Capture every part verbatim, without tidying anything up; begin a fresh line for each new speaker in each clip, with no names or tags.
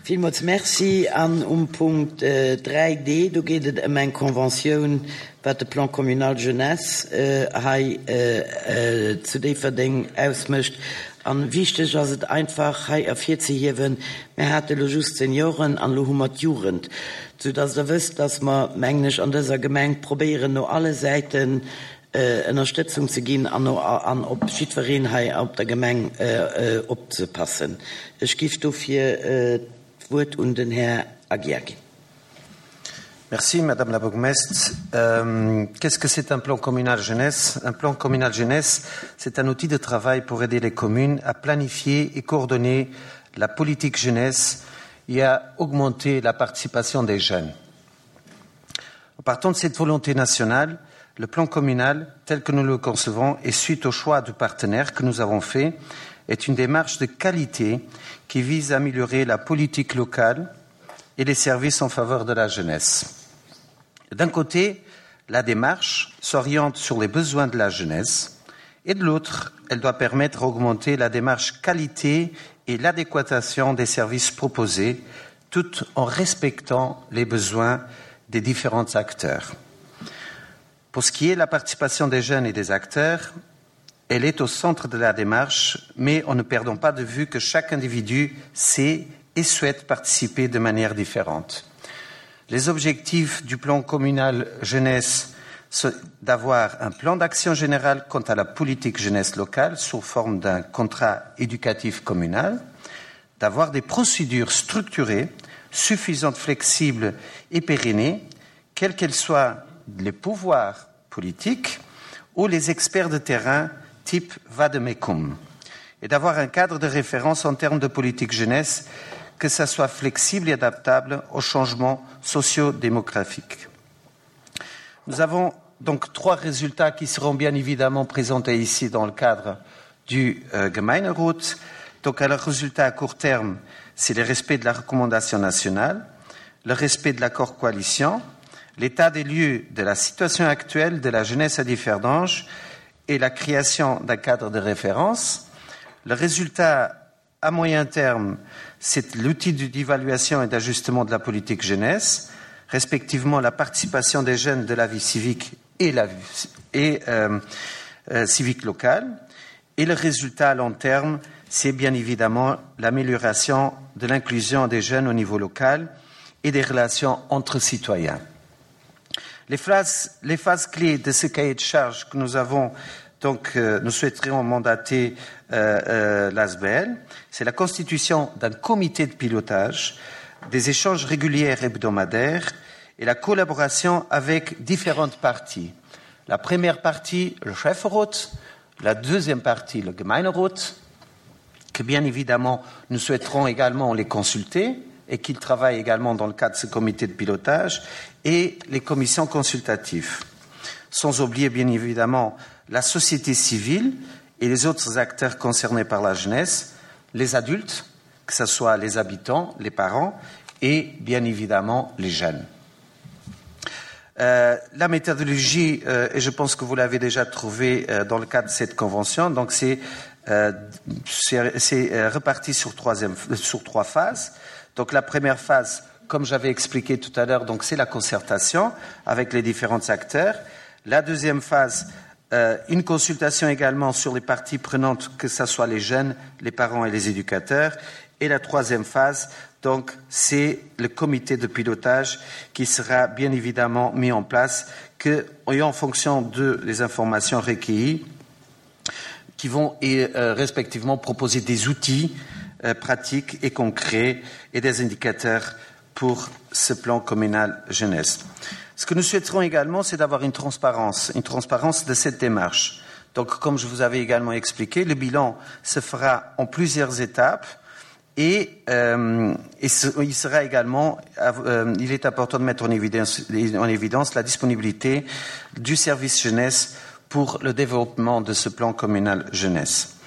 Villmools Merci. An um Punkt dräi D, do geet et ëm eng Conventioun, wat de Plan communal jeunesse hei zu Déifferdeng ausmécht. A wichteg ass et einfach hei ervirzehiewen, mir hate lo just d'Senioren an elo hu mer d'Jugend, soudass Der wësst, dass mer, mengen ech, an dëser Gemeng probéieren, no alle Säiten Ënnerstëtzung ze ginn an an op jiddwereen hei op der Gemeng opzepassen. Ech giff dofir d'Wuert un den Här Aguiar ginn.
Merci, Madame la bourgmestre. Euh, Qu'est-ce que c'est un plan communal jeunesse? Un plan communal jeunesse, c'est un outil de travail pour aider les communes à planifier et coordonner la politique jeunesse et à augmenter la participation des jeunes. En partant de cette volonté nationale, le plan communal, tel que nous le concevons et suite au choix du partenaire que nous avons fait, est une démarche de qualité qui vise à améliorer la politique locale et les services en faveur de la jeunesse. D'un côté, la démarche s'oriente sur les besoins de la jeunesse et de l'autre, elle doit permettre d'augmenter la démarche qualité et l'adéquation des services proposés tout en respectant les besoins des différents acteurs. Pour ce qui est de la participation des jeunes et des acteurs, elle est au centre de la démarche, mais en ne perdant pas de vue que chaque individu sait et souhaite participer de manière différente. Les objectifs du plan communal jeunesse sont d'avoir un plan d'action général quant à la politique jeunesse locale sous forme d'un contrat éducatif communal, d'avoir des procédures structurées, suffisantes, flexibles et pérennées, quels qu'elles soient les pouvoirs politiques ou les experts de terrain type Vademecum, et d'avoir un cadre de référence en termes de politique jeunesse, que ça soit flexible et adaptable aux changements socio-démographiques. Nous avons donc trois résultats qui seront bien évidemment présentés ici dans le cadre du euh, Gemeinderat. Donc, le résultat à court terme, c'est le respect de la recommandation nationale, le respect de l'accord coalition, l'état des lieux de la situation actuelle de la jeunesse à Differdange et la création d'un cadre de référence. Le résultat à moyen terme, c'est l'outil d'évaluation et d'ajustement de la politique jeunesse, respectivement la participation des jeunes de la vie civique et la vie, et, euh, euh, civique locale. Et le résultat à long terme, c'est bien évidemment l'amélioration de l'inclusion des jeunes au niveau local et des relations entre citoyens. Les phases, les phases clés de ce cahier de charges que nous avons, donc, euh, nous souhaiterions mandater, euh, euh, l'A S B L, c'est la constitution d'un comité de pilotage, des échanges réguliers hebdomadaires et la collaboration avec différentes parties. La première partie, le Schäfferot, la deuxième partie, le Gemeinderat, que bien évidemment nous souhaiterons également les consulter et qu'ils travaillent également dans le cadre de ce comité de pilotage, et les commissions consultatives. Sans oublier bien évidemment la société civile et les autres acteurs concernés par la jeunesse, les adultes, que ce soit les habitants, les parents et bien évidemment les jeunes. Euh, la méthodologie, euh, et je pense que vous l'avez déjà trouvée, euh, dans le cadre de cette convention, donc c'est, euh, c'est, c'est, euh, reparti sur, troisième, sur trois phases. Donc la première phase, comme j'avais expliqué tout à l'heure, donc c'est la concertation avec les différents acteurs. La deuxième phase, euh, une consultation également sur les parties prenantes, que ce soit les jeunes, les parents et les éducateurs. Et la troisième phase, donc, c'est le comité de pilotage qui sera bien évidemment mis en place, que, et en fonction de les informations recueillies, qui vont et, euh, respectivement proposer des outils, euh, pratiques et concrets et des indicateurs pour ce plan communal jeunesse. Ce que nous souhaiterons également, c'est d'avoir une transparence, une transparence de cette démarche. Donc, comme je vous avais également expliqué, le bilan se fera en plusieurs étapes et, euh, et ce, il sera également, euh, il est important de mettre en évidence, en évidence la disponibilité du service jeunesse pour le développement de ce plan communal jeunesse.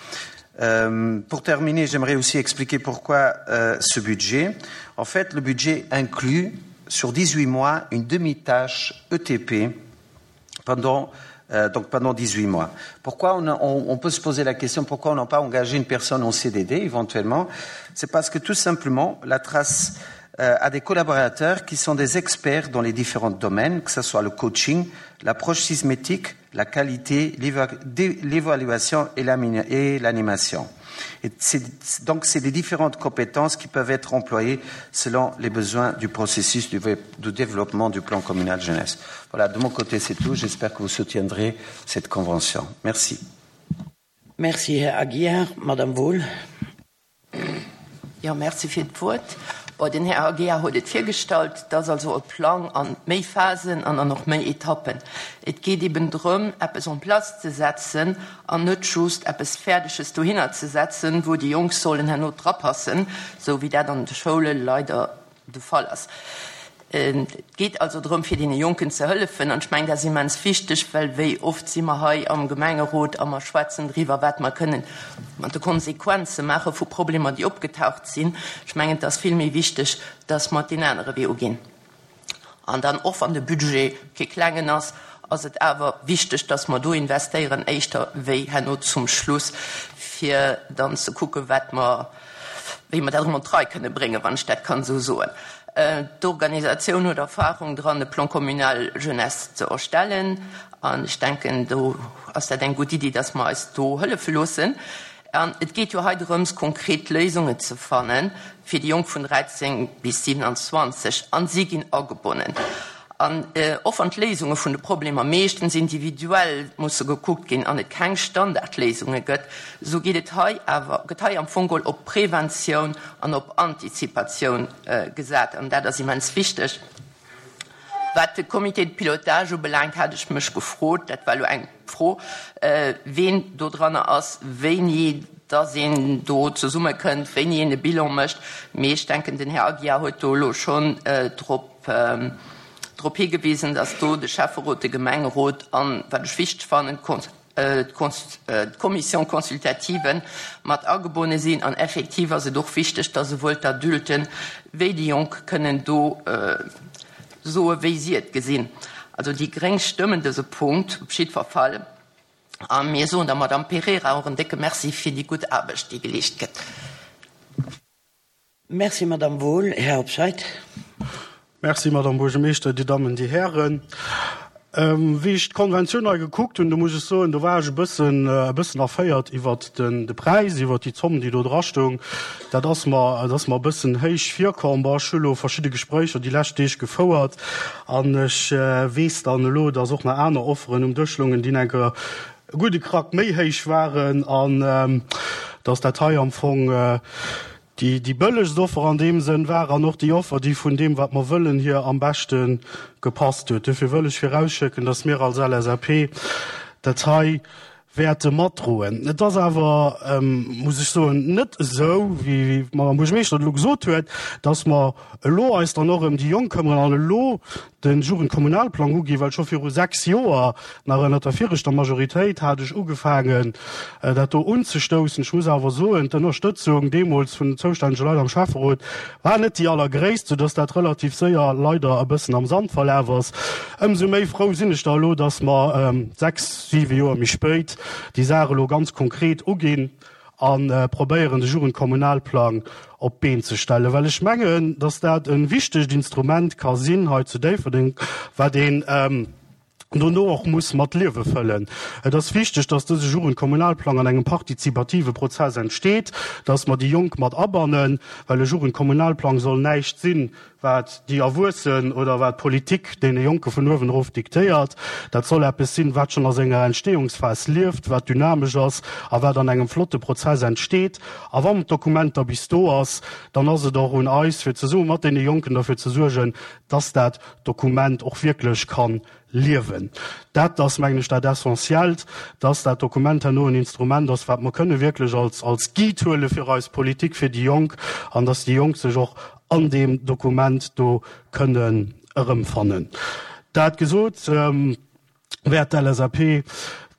Euh, pour terminer, j'aimerais aussi expliquer pourquoi, euh, ce budget. En fait, le budget inclut sur dix-huit mois une demi-tâche E T P pendant Euh, donc pendant dix-huit mois. Pourquoi on, on, on peut se poser la question pourquoi on n'a pas engagé une personne en C D D éventuellement? C'est parce que tout simplement, la trace euh, a des collaborateurs qui sont des experts dans les différents domaines, que ce soit le coaching, l'approche sismétique, la qualité, l'évaluation et l'animation. Et c'est, donc, c'est des différentes compétences qui peuvent être employées selon les besoins du processus du, du développement du plan communal jeunesse. Voilà, de mon côté, c'est tout. J'espère que vous soutiendrez cette convention. Merci.
Merci, Herr Aguiar. Madame Wohl.
Ja, merci fir d'Wuert. Bon, den Herr Aguiar huet et virgestallt, dass also e Plan an méi Phasen an an noch méi Etappen. Et geht eben drëm, eppes en place ze setzen an net just eppes Fertiges dohinner ze setzen, wo die Jungs sollen herno drapassen, so wie dat an der Schule leider de Fall ass. Et geht also drëm, fir den Jonken ze hëllefen, an ich mein, das ist immens wichtig, well wéi oft si mer hei am Gemengerot am schwätzen drüber, wat mer kënnen mat de Konsequenze mache vu Probleme, die opgetaucht sinn. Ich mein, das ist viel méi wichtig, dass mer den andere Weg gehen. An dann och an de Budget ke klengen ass, ass et awer wichtig, dass mer do investieren éischter wéi herno zum Schluss, fir dann ze kucke wat mer, wéi mer dat drei kënne bréngen, wann ich dat kann so soen. D'Organisation huet Erfahrung dran, de Plan communal Jeunesse ze erstellen. An ich denke, do ass dat eng gutt Idee, dass mer eis do hëllefe loossen. An et geht jo hei drëms, konkret Lösungen ze fannen fir die Jong vun dreizehn bis siebenundzwanzig an sie ginn agebonnen. An äh, och an d'Léisunge vun de Problemer meeschtens individuell musse gekuckt ginn an et keng Standardléisunge gëtt, so geht et hei awer gëtt hei am Fong geholl op Prävention an op Antizipatioun, äh, gesat. An dat ass immens wichteg. Wat de Comité de Pilotage ubelangt, hat ech mech gefrot, dat war lo eng Fro, äh, wen do dran ass, wéini dass een do zesumme kënnt, wéini een e Bilan mécht. Mee ech denken, den Herr Aguiar huet do lo schon, äh, drop, ähm, drop hingewesen, dass do de Schäfferot, de Gemengerot an, wat ech wichteg fannen, Kon-, äh, d'Kons-, äh, d'Commission consultative mat agebonne sinn. An effektiv ass et och wichteg, dass souwuel d'Adulten wéi déi Jonk kënnen do, äh, soe wéi si et gesinn. Also die Gréng stëmmen dëse Punkt op jiddwer Fall. A mir soen der Madame Pereira och en décke Merci fir déi gutt Aarbecht, déi geleescht gëtt.
Merci, Madame Wohl. Herr Hobscheit.
Merci, Madame Buergermeeschter, die Damen, die Herren. Ähm, wie ich d'Konvention neu gekuckt hun, do muss ich soen, do war ich e bëssen, äh, e bëssen erféiert iwwer den, de Preis, iwwer die Zomm, déi do dra stoung. Dat ass mer, dat ass mer e bëssen héich virkomm. Bon, ech hu lo verschidde Gespréicher déi lescht Deeg gefouert an ech, äh, weess dann elo, dass och nach aner Offeren um Dësch loungen, déi enke gudde Krack méi héich waren an, ähm, dass dat hei am Fong, äh, die, die bëllegst Offer an dem Sënn war an och die Offer, die vun dem, wat mer wëllen, hier am besten gepasst huet. Dofir wëll ech vorausschécken, dass mir als L S A P dat hei wäerte matdroen. Et ass awer, ähm, muss ich soen, net esou, wie, wie Madame Buergermeeschter lo gesot huet, dass mer elo eis dann och ëm déi Jonk këmmern an elo den Jugendkommunalplan uginn, well scho viru sechs Joer nach ënner der viregter Majoritéit hat ech ugefaangen, äh, dat do unzestoussen. Ich muss awer soen, d'Ënnerstëtzung deemools vun den zoustännege Leit am Schäfferot war net déi allergréisst, sodass dat relativ séier leider e bëssen am Sand verlaf ass. Ëmsou méi frou sinn ech da elo, dass mer, ähm, sechs, siwe Joer méi spéit déi Sache elo ganz konkret uginn an, äh, probéieren, de Jugendkommunalplan op d'Been ze stellen. Well ech mengen, dass dat en wichtegt Instrument ka sinn hei zu Déifferdeng, wat een, ähm, dono och muss mat Liewe fëllen. Et ass wichteg, dass dëse Jugendkommunalplan an engem partizipative Prozess entsteet, dass mer déi Jonk mat abannen, well e Jugendkommunalplan soll näischt sinn, wat die Erwuessen oder wat Politik deene Jonke vun uewen erof diktéiert. Dat soll eppes sinn, wat schon a senger Entstehungsphas lieft, wat dynamesch ass a wat an engem flotte Prozess entsteet. A wann d'Dokument da bis do ass, dann ass et och un eis, fir zesumme mat deene Jonken dafür ze suergen, dass dat Dokument och wierklech kann liewen. Dat ass, mengen ech, dat Essentiellt, dass dat Dokument herno en Instrument ass, wat mer kënne wierklech als, als Guide huele fir eis Politik, fir déi Jonk, an dass déi Jonk sech och an dem Dokument do kënnen erëmfannen. Dat gesot, ähm, wäert d'L S A P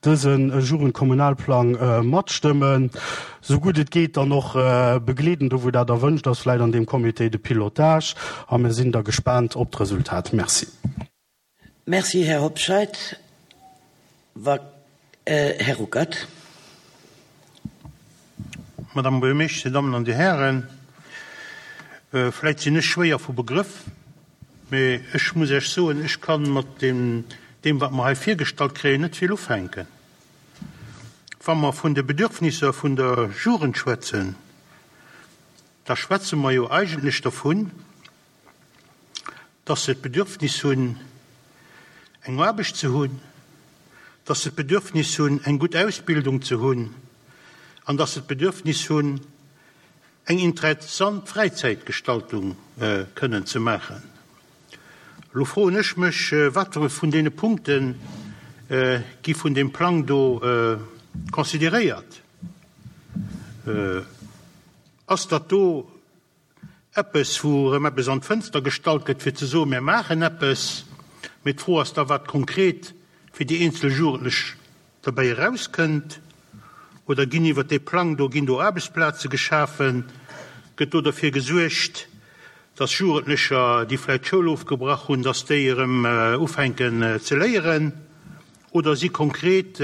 dësen Jugendkommunalplan, äh, matstëmmen, so gut et geht dann noch, äh, begleeden, do wou dat erwünscht ass, vläicht an dem Comité de Pilotage, a mir sinn da gespannt op d'Resultat. Merci.
Merci, Herr Hobscheit. Wa, Här Ruckert.
Madame Buergermeeschter, Dir Dammen an Dir Hären, vläit sinn ech schwéier vu Begrëff, mee ech muss Iech soen, ech ka mat deem, deem wat mer hei virgestallt kréien, net vill ufänken. Wa mer vun de Bedürfnisser vun der Jugend schwätzen, da schwätze mer jo eigentlech dervun, dass se d'Bedürfnis hunn, eng Aarbecht ze hunn, dass se d'Bedürfnis hunn, eng gutt Ausbildung ze hunn an dass se d'Bedürfnis hunn, eng interessant Fräizäitgestaltung kënnen ze maachen. Elo froen ech mech, wat vun deene Punkte gi vun deem Plang do consideréiert? Ass dat do eppes, wou erëm eppes an d'Fënster gestallt gëtt, fir ze soen, mir maachen eppes, mee d'Fro ass da, wat konkret fir déi eenzel Jugendlech derbäi erauskënnt? Oder ginn iwwer dee Plang do, ginn do Aarbechtsplaze geschafen? Gëtt do derfir gesuergt, dass Jugendlecher, déi vläicht d'Schoul ofgebrach hunn, dass déi erëm ufänken ze léieren? Oder si konkret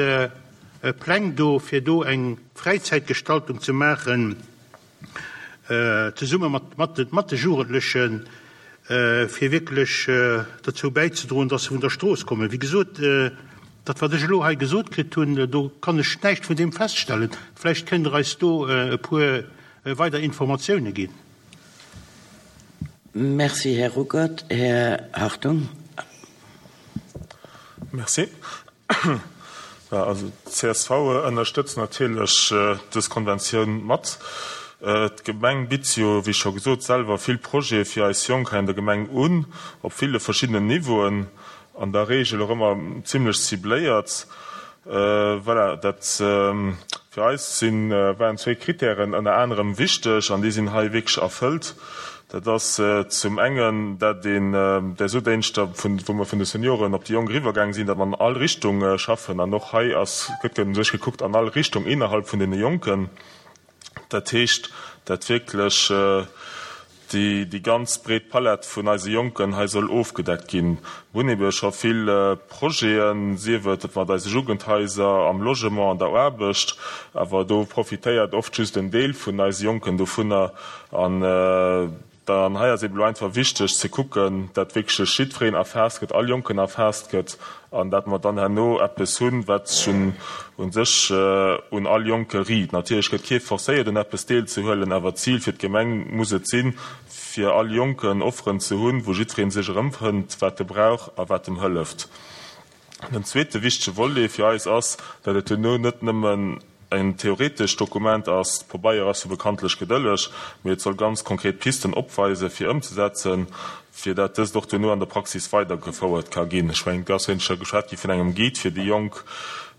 Pläng do, fir do eng Fräizäitgestaltung ze maachen, zesumme mat de Jugendlechen, fir wierklech dozou bäizedroen, dass se vun der Strooss kommen? Wéi gesot, dat wat ech elo hei gesot kritt hunn, do kann ech näischt vun deem feststellen. Vläicht kënnt Der eis do e puer weider Informatioune ginn.
Merci, Här Ruckert. Här Hartung.
Merci. Also d'C S V ënnerstëtzt natierlech dës Konventioun mat. D'Gemeng bitt jo, wéi scho gesot, selwer vill Projete fir eis Jonk hei an der Gemeng un, op ville verschiddenen Niveauen, an der Reegel och ëmmer zimlech cibléiert. Voilà, dat fir eis sinn, waren zwee Kritären ënner anerem wichteg an déi sinn hei wierklech erfëllt. Dat ass zum engen, dat een där Sodéngschter, vun, wou mer vun de Senioren op déi Jonk eriwwergaang sinn, datt mer an all Richtung schaffen an och hei ass, gëtt u sech gekuckt an all Richtung innerhalb vun deene Jonken. Dat heescht, dat wierklech déi déi ganz breet Palett vun eise Jonken hei soll ofgedeckt ginn. Mir hunn ebe scho vill Projeten, sief et mat eise Jugendhaiser, am Logement, an der Aarbecht, awer do profitéiert oft just en Deel vun eise Jonken dovunner. An dann hei ass eben elo einfach wichteg ze kucken, dat wierklech jiddwereen erfaasst gëtt, all Jonken erfaasst gëtt an dat mer dann herno eppes hunn, wat sech un sech un all Jonke riit. Natierlech gëtt kee forcéiert un eppes deelzehuelen, awer d'Zil fir d'Gemeng muss et sinn, fir all Jonken Offeren ze hunn, wou jiddweree sech erëmfënnt, wat e brauch a wat em hëlleft. Den zweete wichtege Volet fir eis ass, dat et duerno net nëmmen en theoretescht Dokument ass, Pabeier ass jo bekanntlech gedëlleg, mee et soll ganz konkret Pisten opweisen, fir ëmzesetzen, fir dat dëst och duerno an der Praxis weidergefouert ka ginn. Ech mengen, et ass jo scho geschwat gi vun engem Guide fir déi Jonk,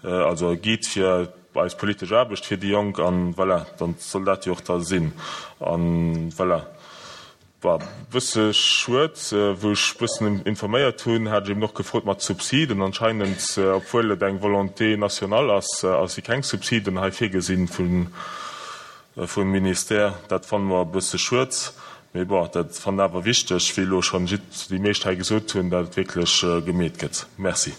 also e Guide fir eis politesch Aarbecht fir déi Jonk, an voilà, dann soll dat jo och da sinn. An voilà. War bësse schued, wou ech bëssen informéiert hunn, hat ech eben och gefrot mat Subsiden. Anscheinend, obwuel et eng Volonté nationale ass, ass si keng Subsiden hei virgesinn vun vum Ministère. Dat fanne mer e bësse schued, mee bon, dat fannen awer wichteg, wéi elo schonn déi meescht hei gesot hunn, dat et wierklech gemeet gëtt. Merci.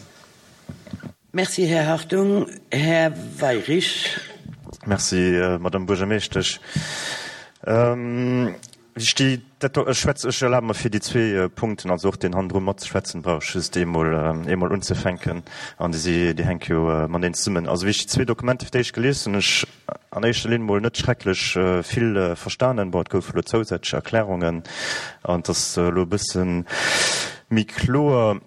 Merci, Här Hartung. Här Weyrich.
Merci, Madame Buergermeeschtesch. Ech déi dat do, ech schwätz, ech erlabe mer fir déi zwee Punkten, also och deen hannendru matzeschwätzen, brauch ech just eemol, eemol unzefänken an déi si, déi hänke jo mateneen zesummen. Also wéi ech déi zwee Dokumenter fir d'éischt gelies hunn, ech an éischter Linn mol net schrecklech vill verstanen. Bon, et goufe elo zousätzlech Erklärungen an et ass elo e bësse méi kloer.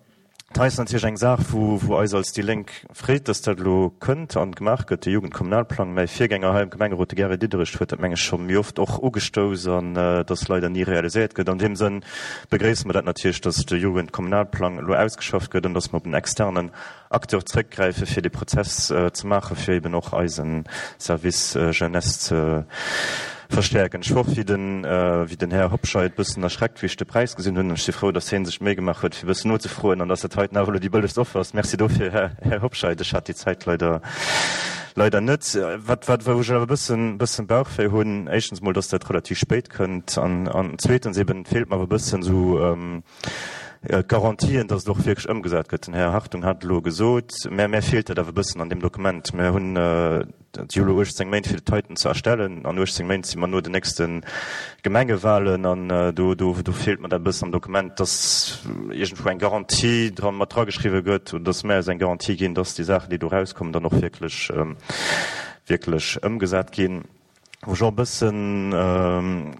Dat hei ass natierlech eng Saach, wou, wou eis als déi Lénk freet, dass dat elo kënnt an gemaach gëtt, de Jugendkommunalplang. Mäi Virgänger hei am Gemengerot, de Gary Diderich, huet dat, meng ech, scho méi oft och ugestouss an et ass leider ni realiséiert gëtt. An deem Sënn begréisse mer dat natierlech, dass de Jugendkommunalplang elo ausgeschafft gëtt an dass mer op en externen Acteur zrëckgräife fir dee Prozess ze maachen, fir eben och eise Service Jeunesse ze verstärken. Ech wor wéi den, wéi den Här Hobscheit bëssen erschreckt, wéi ech de Präis gesinn hunn. Ech si frou, dass hien sech d'Méi gemaach huet, fir bëssen nozefroen an dass dat heiten awer elo déi bëllegst Offer ass. Merci dofir, Här, Här Hobscheit. Ech hat déi Zäit leider, leider net. Wat, wat, wou ech awer e bëssen, bëssen Bauchwéi hunn, éischtens mol, dass dat relativ spéit kënnt an, an zweetens eben feelt mer awer e bëssen esou, Garantien, dass et och wierklech ëmgesat gëtt. Den Här Hartung hat et elo gesot, mä mär feelt dat awer e bëssen an deem Dokument. Mir hunn jo elo uechtzéng Méint, fir dat heiten ze erstellen. An uechtzéng Méint si mer no den nächste Gemengewahlen an do, do, do feelt mer dat e bëssen am Dokument, dass iergendwou eng Garantie dra mat drageschriwwen gëtt oder dass mär eis eng Garantie ginn, dass déi Saachen, déi do erauskommen, dann och wierklech, wierklech ëmgesat ginn. Wou ech och e bëssen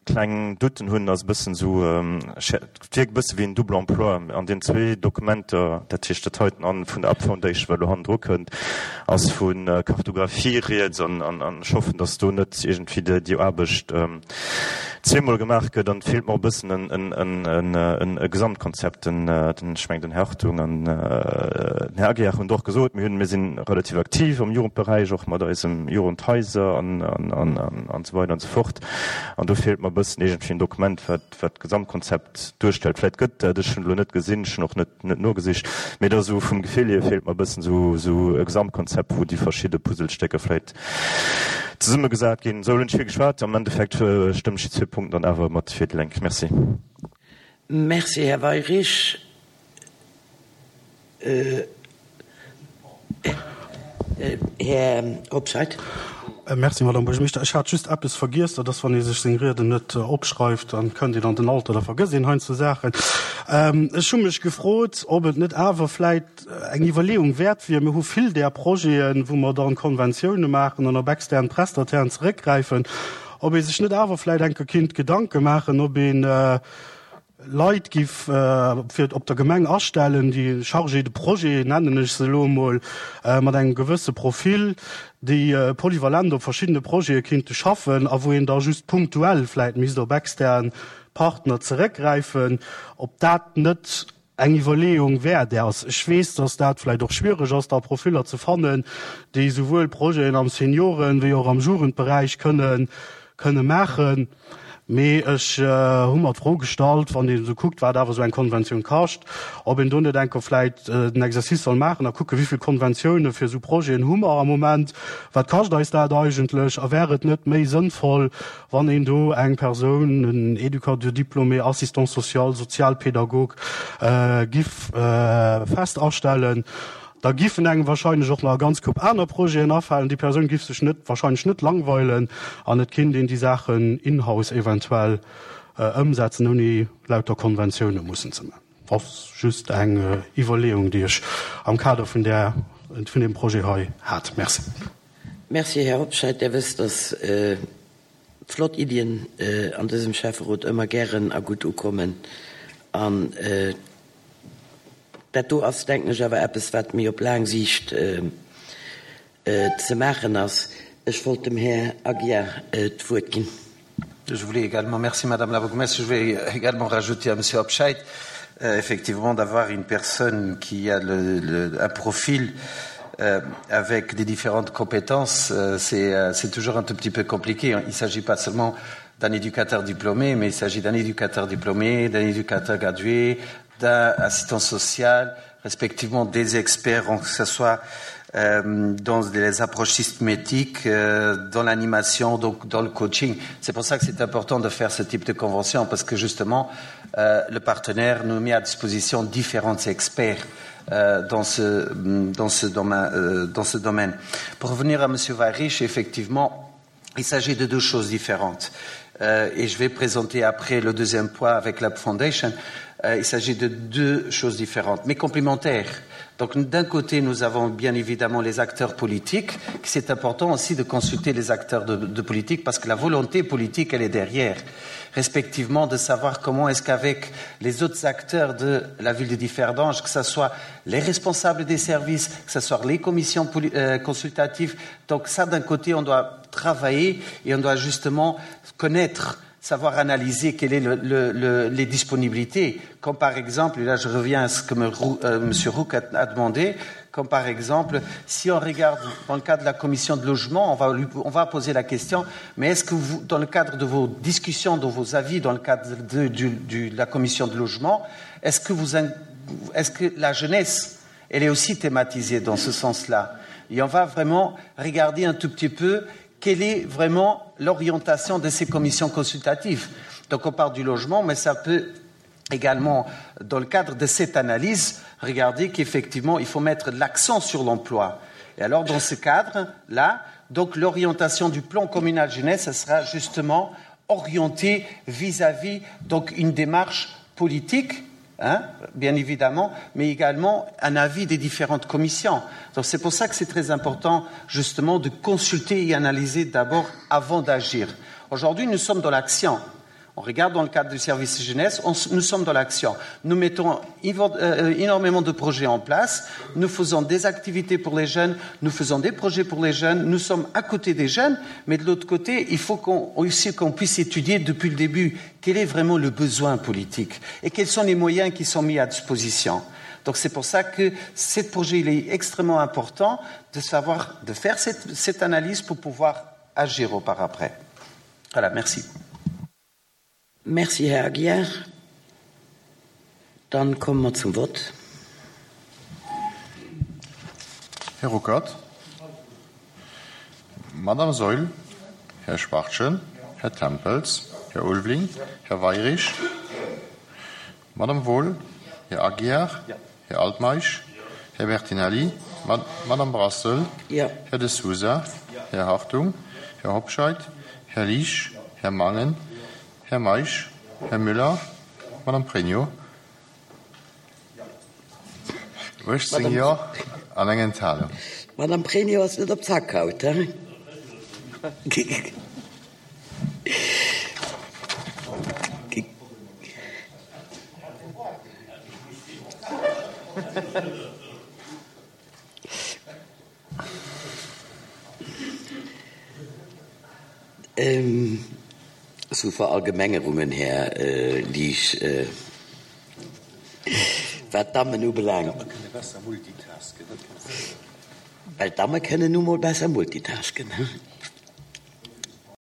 kleng Doutten hunn, ass e bëssen esou, et wierkt e bësse wéi en Double emploi an deenen zwee Dokumenter, dat heescht dat heiten an vun der Up Foundation, wat elo hannendru kënnt, ass vu Kartographie rieds an ech hoffen, datt do net iergendwéi déi Aarbecht zweemol gemaach gëtt an et feelt mer och e bëssen en Gesamtkonzept. Den, ech mengen, den Här Hartung an den Här Aguiar hunn et och gesot, mir hunn, mir si relativ aktiv am Jugendberäich, och mat eisem Jugendhaiser an esou weider an esou fort. An do feelt mer e bëssen iergendwéi en Dokument, wat wat d'Gesamtkonzept duerstellt. Vläicht gëtt dat, ech hunn elo net gesinn, ech hunn och net net nogesicht, mee da esou vum Gefill hier feelt mer e bëssen esou esou e Gesamtkonzept, wou déi verschidde Puzzlestécker vläicht zesummegesat ginn. Esou, elo hunn ech vill geschwat. Am Endeffekt stëmmen ech déi zwee Punkten dann awer mat fir déi Lénk. Merci.
Merci, Här Weyrich. Här Hobscheit.
Merci, Madame Buergermeeschter. Ech hat just eppes vergiess, dat ass, wann ee sech seng Rieden net opschreift, dann kënnt een an den Alter, da vergësst een heiansdo Saachen. Ech hu mech gefrot, ob et net awer vläit eng Iwwerleeung wäert wier, mir hu vill där Projeten, wou mer dann Konventioune maachen an op extern Prestatairen zeréckgräifen, ob ee sech net awer vläit eng Kéier kinnt Gedanke maachen, ob een Leit giff fir op der Gemeng astellen, déi Chargés de projet, nennen ech se elo emol, mat engem gewësse Profil, déi polyvalent op verschiddene Projete kinnte schaffen a wou een da just punktuell vläit misst op extern Partner zeréckgräifen, ob dat net eng Iwwerleeung wäert ass. Ech weess, dass dat vläicht och schwiereg ass, da Profiller ze fannen, déi souwuel Projeten am Senioren wéi och am Jugendberäich kënnen kënne maachen. Mee ech hu mer d'Fro gestallt, wann een esou kuckt, wat awer esou eng Konventioun kascht, ob een do net enker vläicht den Exercice soll maachen a kucken, wéi vill Konventioune fir esou Projeten hu mer am Moment, wat kascht eis dat eigentlech a wär et net méi sënnvoll, wann een do eng Persoun, en Éducateur diplômé, Assistant social, Sozialpädagog, giff fest astellen. Da giffen engem wahrscheinlech och nach e ganz Koup aner Projeten afalen. Déi Persoun giff sech net, wahrscheinlech net langweilen an et kinnt een déi Saachen in-house eventuell ëmsetzen, ouni lauter Konventioune mussen ze man. Ass just eng Iwwerleeung, déi ech am Kader vun där, vun deem Projet hei hat. Merci.
Merci, Här Hobscheit. Där wësst, dass flott Iddien an dësem Schäfferot ëmmer gären a gutt ukommen an Dat do ass, denken ech, awer eppes, wat méi op laang Siicht ze maachen ass. Ech wollt dem Här Aguiar d'Wuert ginn.
Je voulais également, merci Madame la Bourgmestre, je vais également rajouter à Monsieur Hobscheit, euh, effectivement d'avoir une personne qui a le, le, un profil euh, avec des différentes compétences, euh, c'est euh, toujours un tout petit peu compliqué. Il ne s'agit pas seulement d'un éducateur diplômé, mais il s'agit d'un éducateur diplômé, d'un éducateur gradué, d'un assistant social, respectivement des experts, que ce soit euh, dans les approches systématiques, euh, dans l'animation, donc dans le coaching. C'est pour ça que c'est important de faire ce type de convention, parce que justement, euh, le partenaire nous met à disposition différents experts euh, dans, ce, dans, ce domaine, euh, dans ce domaine. Pour revenir à Monsieur Weyrich, effectivement, il s'agit de deux choses différentes. Euh, et je vais présenter après le deuxième point avec l'Up Foundation. Euh, il s'agit de deux choses différentes, mais complémentaires. Donc d'un côté, nous avons bien évidemment les acteurs politiques. C'est important aussi de consulter les acteurs de, de politique parce que la volonté politique, elle est derrière. Respectivement, de savoir comment est-ce qu'avec les autres acteurs de la ville de Differdange, que ce soit les responsables des services, que ce soit les commissions euh, consultatives. Donc ça, d'un côté, on doit travailler et on doit justement connaître savoir analyser quelles sont le, le, le, les disponibilités, comme par exemple, et là je reviens à ce que M. Euh, Monsieur Roux a, a demandé, comme par exemple, si on regarde dans le cadre de la commission de logement, on va, lui, on va poser la question, mais est-ce que vous, dans le cadre de vos discussions, de vos avis, dans le cadre de, de, de, de la commission de logement, est-ce que, vous, est-ce que la jeunesse, elle est aussi thématisée dans ce sens-là Et on va vraiment regarder un tout petit peu quelle est vraiment l'orientation de ces commissions consultatives. Donc on parle du logement, mais ça peut également, dans le cadre de cette analyse, regarder qu'effectivement, il faut mettre l'accent sur l'emploi. Et alors, dans ce cadre-là, donc l'orientation du plan communal jeunesse, ça sera justement orienté vis-à-vis donc une démarche politique, hein, bien évidemment, mais également un avis des différentes commissions. Donc c'est pour ça que c'est très important justement de consulter et analyser d'abord avant d'agir. Aujourd'hui, nous sommes dans l'action. On regarde dans le cadre du service jeunesse, on, nous sommes dans l'action. Nous mettons euh, énormément de projets en place, nous faisons des activités pour les jeunes, nous faisons des projets pour les jeunes, nous sommes à côté des jeunes, mais de l'autre côté, il faut qu'on, aussi qu'on puisse étudier depuis le début quel est vraiment le besoin politique et quels sont les moyens qui sont mis à disposition. Donc c'est pour ça que ce projet il est extrêmement important de savoir, de faire cette, cette analyse pour pouvoir agir au par après. Voilà, merci.
Merci, Här Aguiar. Dann komme mer zum Vott.
Här Ruckert. Madame Saeul. Här Schwachtgen. Här Tempels. Här Ulveling. Här Weirich. Madame Wohl. Här Aguiar. Här Altmeisch. Här Bertinelli. Madame Brassel.
Ja.
Här De Sousa. Här Hartung. Här Hobscheit. Här Liesch. Här Mangen. Här Meisch, Här Müller, Madame Pregno. uechtzéng Jo an eng Enthalung.
D'Madame Pregno ass net op Zack haut, he? Sou Verallgemengerungen, Här Liesch, wat d'Dammen ubelaangt. Well d'Damme kënnen nu mol besser multitasken.